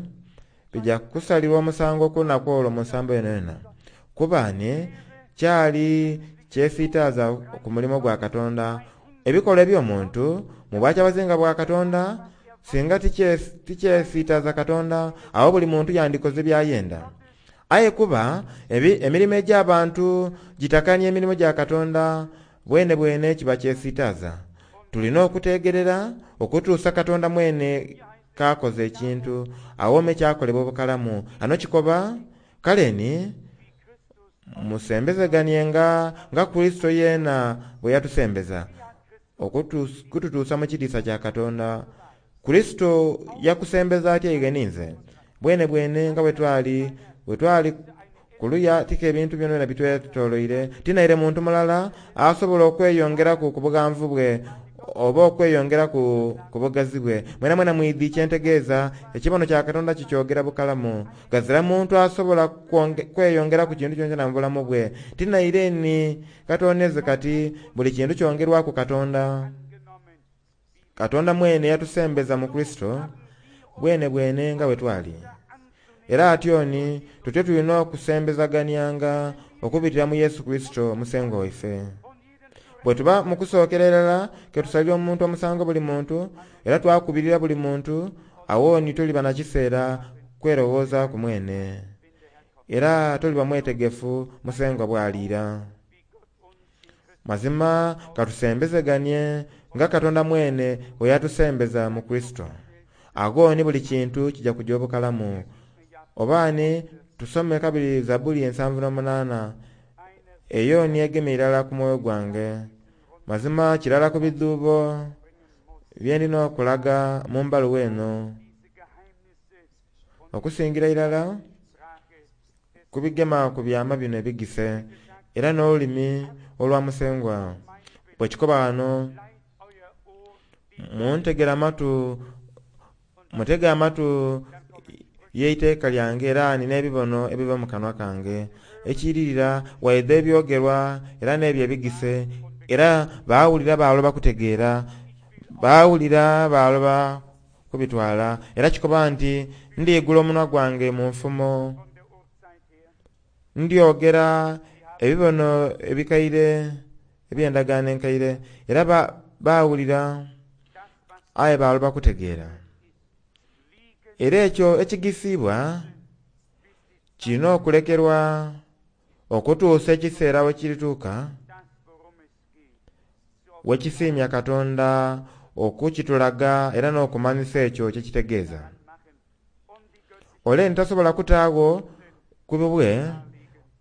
bijja kusalirwa omusango ku lunaku olwo mu nsambo yonayona. Kuba ni kyali kyesiitaaza ku mulimo gwa Katonda. Ebikolwa eby'omuntu mu bwakyabazinga bwa Katonda singa tikyesiitaaza Katonda, awo buli muntu yandikoze byayenda. Aye kuba emirimo egy'abantu gitakania emirimu gya Katonda, bwene bwene kiba kyesiitaaza. Tulina okutegerera okutuusa Katonda mwene kakoze ekintu awome kyakolebwa obukalamu. Ano kikoba kale ni musembezeganienga nga Kurisito yeena bwe yatusembeza okututuusa mu kitiisa kya Katonda. Kurisito yakusembeza atya ighe ninze? Bwene bwene nga bwe twali bwe twali kuluya tika ebintu byona bitwetoloire, tinaire muntu mulala asobola okweyongeraku ku bughanvu bwe oba okweyongeraku ku bugazi bwe. Mwena mwena mwidhi kyentegeeza, ekibono kya Katonda kikyogera bukalamu. Ghazira muntu asobola kweyongeraku kintu kyonakyona mu bulamu bwe. Tinaire ni katoneze kati buli kintu kyongerwaku Katonda. Katonda mwene yatusembeza mu Kurisito bwene bwene nga bwe twali. Era atyoni tutyo tulina okusembezaganianga okubitira mu Yesu Kurisito Musengwa waife. Bwe tuba mu kusookera irala ke tusalira omuntu omusango buli muntu era twakubirira buli muntu, awo ni toliba na kiseera kwerowooza ku mwene. Era toliba mwetegefu Musengwa bw'aliira. Mazima katusembezeganie nga Katonda mwene bwe yatusembeza mu Kurisito. Agho ni buli kintu kijja kujja obukalamu. Oba ni tusome kabiri Zabuli ensanvu n'omunaana, eyo ni egemye irala ku mwoyo gwange. Mazima kirala ku bidhuubo bye ndina okulaga mu mbaluwa eno. Okusingira irala kubigema ku byama bino ebigise era n'olulimi olwa Musengwa. Bwe kikoba wano, muntegere amatu, mutege amatu y'eiteeka lyange era nina ebibono ebiva mu kanwa kange. Ekiririra waidha ebyogerwa era n'ebyo ebigise, era baawulira baaloba kutegeera, baawulira baaloba kubitwala. Era kikoba nti ndiigula omunwa gwange mu nfumo, ndyogera ebibono ebikaire eby'endagaano enkaire. Era baawulira aye baaloba kutegeera. Era ekyo ekigisiibwa kirina okulekerwa okutuusa ekiseera we kirituuka wekisiimya Katonda okukitulaga era n'okumanyisa ekyo kyekitegeeza. Ole ntasobola kutaagho ku bubwe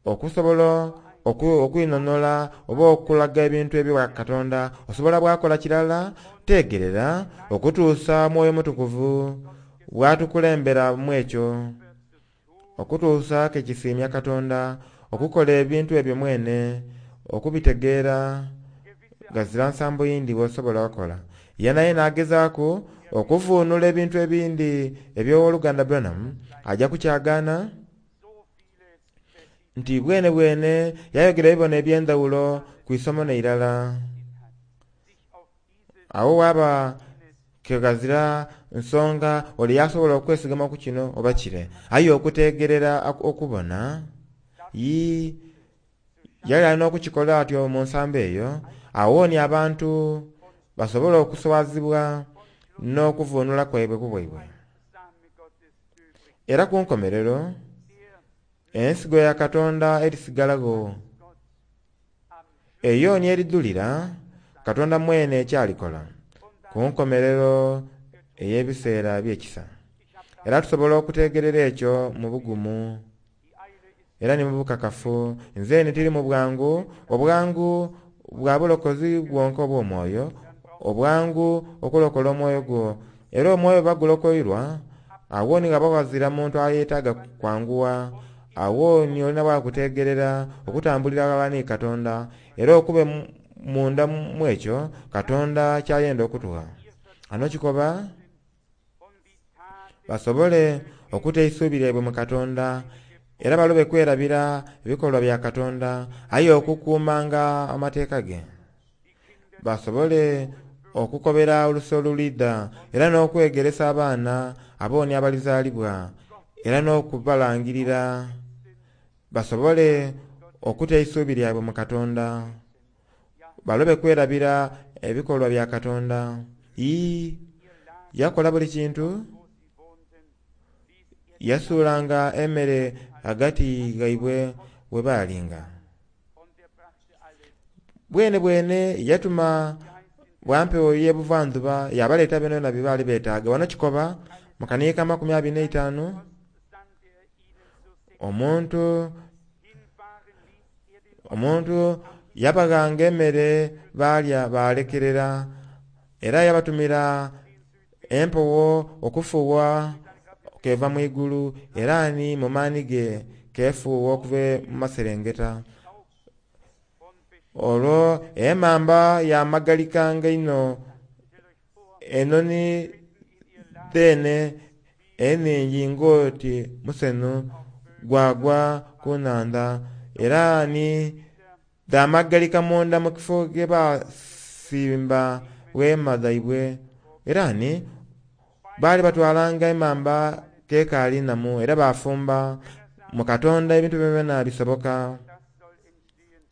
okusobola okwinhonola oba okulaga ebintu ebya Katonda. Osobola bwakola kirala tegerera okutuusa Mwoyo Mutukuvu bwatukulembera mu ekyo, okutuusa ke kisiimya Katonda okukola ebintu ebyo mwene okubitegeera gazira nsambo yindi bw'osobola okukola. Ye naye n'agezaaku okuvuunula ebintu ebindi eby'owoluganda Branham, ajja kukyagaana nti bwene bwene yayogera ebibono eby'endhawulo ku isomo n'eirala. Awo waba ke ghazira nsonga ole yasobola okwesigama ku kino oba kire, aye okutegerera okubona yii yali alina okukikola atyo mu nsambo eyo, awooni abantu basobola okuswazibwa n'okuvuunula kwaibwe ku bwaibwe. Era ku nkomerero ensigo ya Katonda erisigalagho eyo ni eridhulira Katonda mwene ekyalikola ku nkomerero ey'ebiseera eby'ekisa. Era tusobola okutegerera ekyo mu bugumu era ni mu bukakafu. Nze ni tiri mu bwangu, obwangu bwa bulokozi bwonka obw'omwoyo, obwangu okulokola omwoyo gwo. Era omwoyo bagulokoirwa awo ni ghaba ghazira muntu ayeetaaga kwanguwa, awo ni olina bwakutegerera okutambulira ghalala ni Katonda era okube munda mu ekyo Katonda kyayenda okutugha. Ano kikoba basobole okuta eisuubi lyaibwe mu Katonda era balobe kwerabira ebikolwa bya Katonda, aye okukuumanga amateeka ge. Basobole okukobera oluse olulidha era n'okwegeresa abaana abooni abalizaalibwa era n'okubalangirira, basobole okuta eisuubi lyabwe mu Katonda, balobe kwerabira ebikolwa bya Katonda. Ii yakola buli kintu, yasuulanga emmere ghagati ghaibwe we baalinga. Bwene bwene yatuma bwampewo y'ebuvandhuba yabaleeta byona bye baali beetaaga. Wano kikoba mu kaniika amakumi abiri n'eitaanu omuntu omuntu yabaghanga emmere baalya baalekerera, era yabatumira empewo okufuuwa keva mu igulu, era ni mu maani ge kefuuwa okuva mu maserengeta. Olwo emamba yamagalikanga inho, enoni dheene enhingi ng'oti musenho gwagwa ku nnhandha, era ni dhamagalika munda mu kifo ghe baasimba weema dhaibwe. Era ni baali batwalanga emamba kekaali nnamu era baafumba. Mu Katonda ebintu byona bisoboka.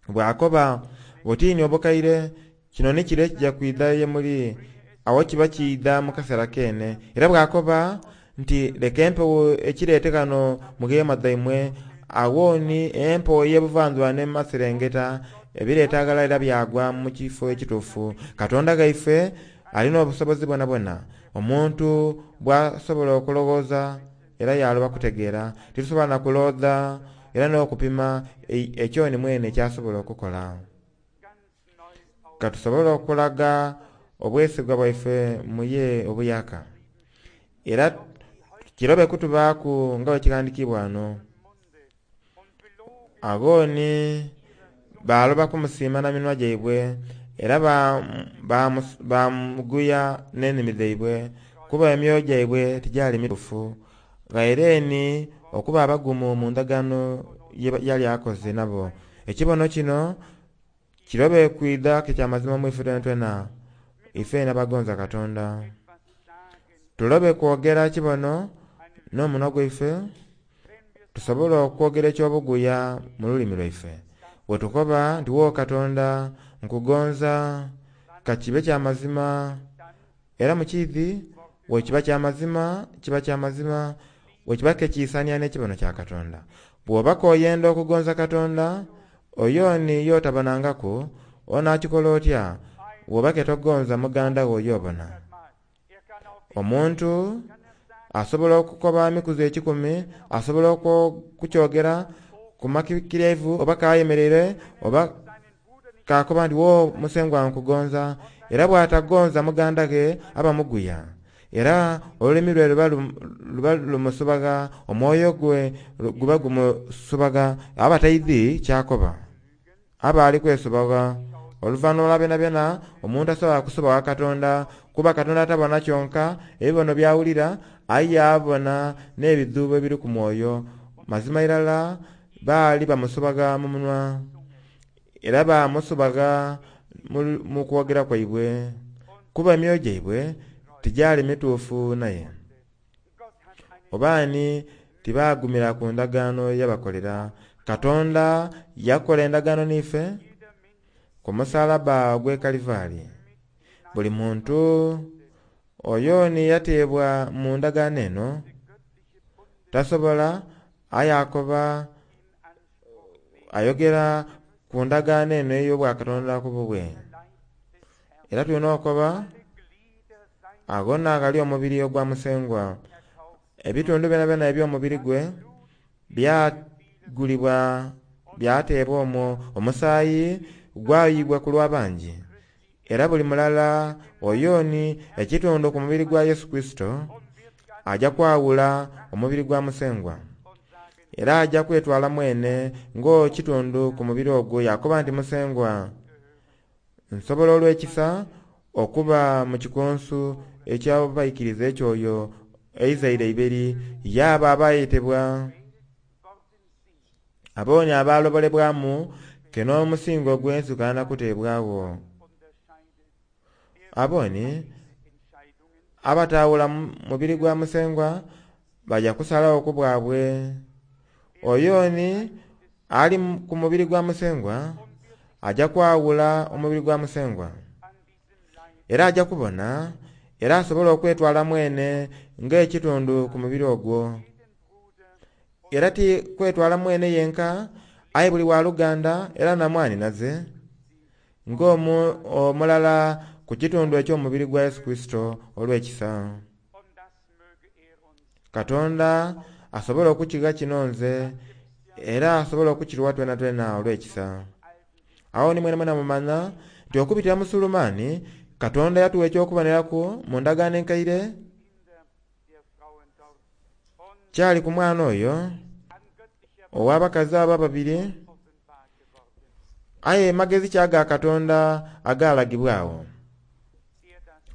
Bw'akoba butiini obukaire kino ni kire ekijja kwidha ye muli, awo kiba kiidha mu kaseera keene. Era bw'akoba nti leka empewo ekireete ghano mu gheema dhaimwe, awo ni empewo ey'ebuvandhuba n'emaserengeta ebireeta ghalala era byagwa mu kifo ekituufu. Katonda ghaife alina obusobozi bwonabwona omuntu bw'asobola okulowooza era yaloba kutegeera. Titusobola na kuloodha era n'okupima ekyo ni mwene ekyasobola okukola. Katusobole okulaga obwesigwa bwaife mu ye obuyaka, era kirobe kutubaaku nga bwe kighandiikibwa wano. Agho ni baloba kumusiima na minwa gyaibwe, era bamuguya n'enimi dhaibwe, kuba emyoyo gyaibwe tigyali mituufu. Ghaire ni okuba abagumu mu ndagaano ye yali akoze nabo. Ekibono kino kirobe kwidha ke kyamazima mu ife twenatwena, ife n'abagonza Katonda. Tulobe kwogera kibono n'omunwa gwaife, tusobole okwogera ekyobuguya mu lulimi lwaife. Bwe tukoba nti wo Katonda nkugonza, ka kibe kyamazima, era mukiidhi bwe kiba kyamazima, kiba kyamazima, bwe kiba kekiisania n'ekibono kya Katonda. Bw'oba k'oyenda okugonza Katonda, oyo ni y'otabonangaku, onaakikola otya bw'oba ke togonza muganda wo y'obona? Omuntu asobola okukoba emikuzi ekikumi, asobola okukyogera ku makikiryaivu oba kayemereire oba kakoba nti wo musengwa nkugonza, era bw'atagonza muganda ghe aba muguya. Era olulimi lwe luba luba lumusubaga, omwoyo gwe guba gumusubaga, aba taidhi kyakoba, aba ali kwesubaga. Oluvannyuma lwa byonabyona omuntu asobola kusubaga Katonda, kuba Katonda atabona kyonka ebibono byawulira, aye abona n'ebidhuubo ebiri ku mwoyo. Mazima irala baali bamusubaga mu munwa, era bamusubaga mu kwogera kwaibwe, kuba emyoyo gyaibwe tigyali mituufu naye. Oba ni tibagumira ku ndagaano yabakolera. Katonda yakola endagaano n'ife ku musalaba ogw'e Kalivari. Buli muntu oyo ni yateebwa mu ndagaano eno tasobola, aye akoba ayogera ku ndagaano eno ey'obwakatonda ku bubwe. Era tulina okukoba ago n'agali omubiri ogwa Musengwa. Ebitundu byonabyona eby'omubiri gwe byagulibwa, byateebwa omwo, omusaayi gwayibwa ku lw'abangi. Era buli mulala oyo ni ekitundu ku mubiri gwa Yesu Kurisito ajja kwawula omubiri gwa Musengwa. Era ajja kwetwala mwene ng'ekitundu ku mubiri ogwo, yakoba nti Musengwa nsobola olw'ekisa okuba mu kikunsu eky'abaikiriza ekyoyo eizaire eiberi, yaaba abayetebwa abo ni abalobolebwamu ke n'omusingo ogw'ensi gukaali kuteebwagho. Abo ni abatawula mubiri gwa Musengwa baja kusalagho ku bwabwe. Oyo ni ali ku mubiri gwa Musengwa aja kwawula omubiri gwa Musengwa, era aja kubona, era asobola okwetwala mwene ng'ekitundu ku mubiri ogwo. Era ti kwetwala mwene yenka, aye buli waluganda era na mwanhinaze ng'omulala ku kitundu eky'omubiri gwa Yesu Kurisito olw'ekisa. Katonda asobola okukigha kino nze, era asobola okukirwa twenatwena olw'ekisa. Awo ni mwenamwena mumanya nti okubitira mu Sulemaani Katonda yatuwa eky'okuboneraku mu ndagaano enkaire kyali ku mwana oyo ow'abakazi abo ababiri, aye magezi ki aga Katonda agalagibwa awo.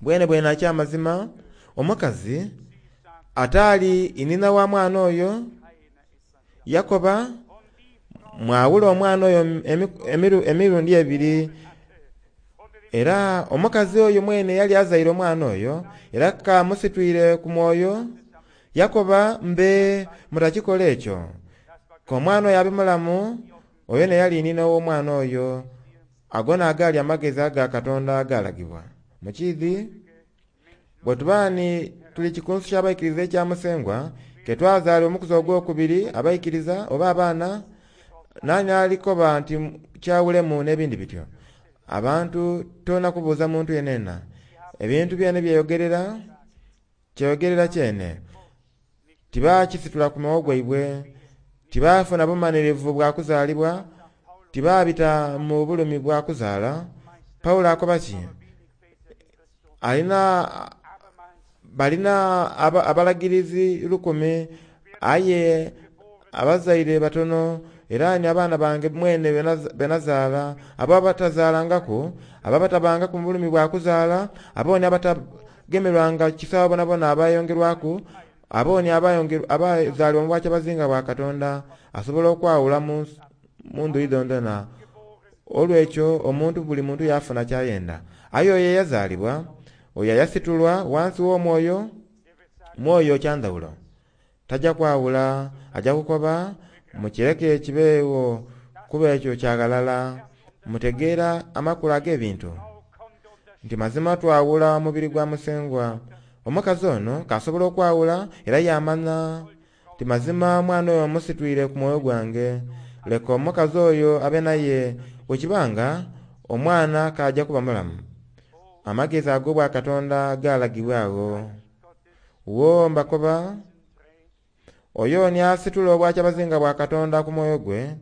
Bwene bwene akyamazima omukazi ataali inhina wa mwana oyo yakoba mwawule omwana oyo emirundi ebiri. Era omukazi oyo mwene yali azaire omwana oyo, era kamusitwire ku mwoyo, yakoba mbe mutakikola ekyo, k'omwana oyo abe mulamu, oyo neyali inhina ow'omwana oyo. Ago n'agaali amagezi aga Katonda agalagibwa. Mukiidhi bwe tuba ni tuli kikunsu ky'abaikiriza ekya Musengwa, ke twazaala omukuzi ogwokubiri abaikiriza oba abaana, nani alikoba nti kyawulemu n'ebindi bityo. Abantu tolina kubuuza muntu yenena, ebintu byene byeyogerera, kyeyogerera kyene. Tibakisitula ku mwoyo gwaibwe, tibafuna bumanhirivu bwa kuzaalibwa, tibabita mu bulumi bwa kuzaala. Pawulo akoba ki? Alina balina abalagirizi lukumi, aye abazaire batono, Era ni abaana bange mwene benazaala, abo abatazaalangaku, abo abatabangaku mu bulumi bwa kuzaala, abo ni abatagemerwanga kisa bonabona abayongerwaku, abo ni abazaalibwa mu bwakyabazinga bwa Katonda, asobola okwawula mu ndhuyi dhondhona. Olwekyo omuntu buli muntu yafuna kyayenda. Aye oyo eyazaalibwa, oyo ayasitulwa wansi w'omwoyo, mwoyo kyandhawulo. Tajja kwawula, ajja kukoba mukireke kibeewo kuba ekyo kyaghalala. Mutegeera amakulu ag'ebintu nti mazima twawula omubiri gwa Musengwa. Omukazi ono kasobola okwawula era yamanya nti mazima omwana oyo musitwire ku mwoyo gwange. Leka omukazi oyo abe naye bwekibanga omwana kajja kuba mulamu. Amagezi ag'obwa Katonda galagibwa agho. Wo mbakoba oyo ni asitula obwakyabazinga bwa Katonda ku mwoyo gwe,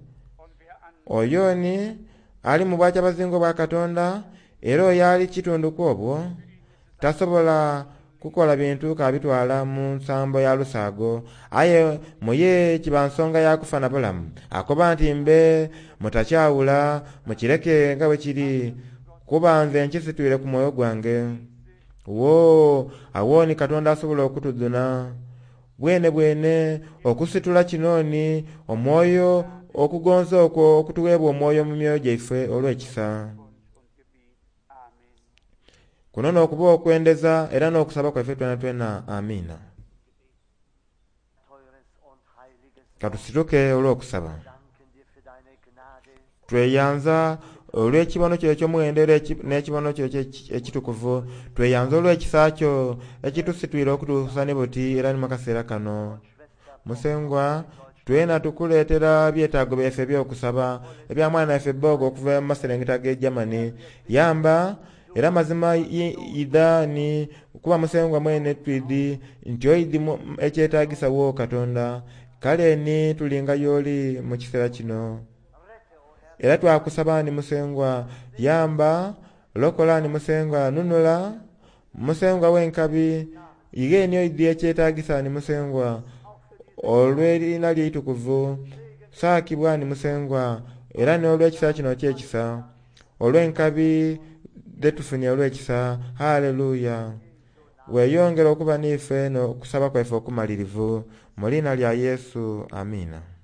oyo ni ali mu bwakyabazinga bwa Katonda, era oyo ali kitundu ku obwo tasobola kukola bintu kabitwala mu nsambo ya lusaago. Aye muye kiba nsonga ya kufa na bulamu. Akoba nti mbe mutakyawula, mukireke nga bwe kiri, kuba nze nkisitwire ku mwoyo gwange. Wo awo ni Katonda asobola okutuduna bwene bwene okusitula kinoni omwoyo okugonza okwo okutuweebwa omwoyo mu myoyo gyaife olw'ekisa. Kuno n'okuba okwendeza era n'okusaba kwaife twena twena. Amiina. Katusituke olw'okusaba. Tweyanza olw'ekibono kyo eky'omuwendo era n'ekibono kyo ekitukuvu. Tweyanza olw'ekisa kyo ekitusitwire okutuusa ni buti era ni mu kaseera kano. Musengwa, twena tukuleetera byetaago byaife eby'okusaba ebya mwana waife Bogo okuva mu maserengeta ag'e Germany. Yamba era mazima idha ni kuba Musengwa mwene twidi nti oidhi ekyetaagisa wo Katonda. Kale ni tulinga y'oli mu kiseera kino. Era twakusaba ni Musengwa, yamba, lokola ni Musengwa, nunula Musengwa w'enkabi, ighe ni oidhi ekyetaagisa ni Musengwa olw'erina lye itukuvu. Saakibwa ni Musengwa era n'olw'ekisa kino ky'ekisa, olw'enkabi dhetufunye olw'ekisa. Haleluya. Weeyongera okuba n'ife n'okusaba kwaife okumalirivu mu liina lya Yesu. Amiina.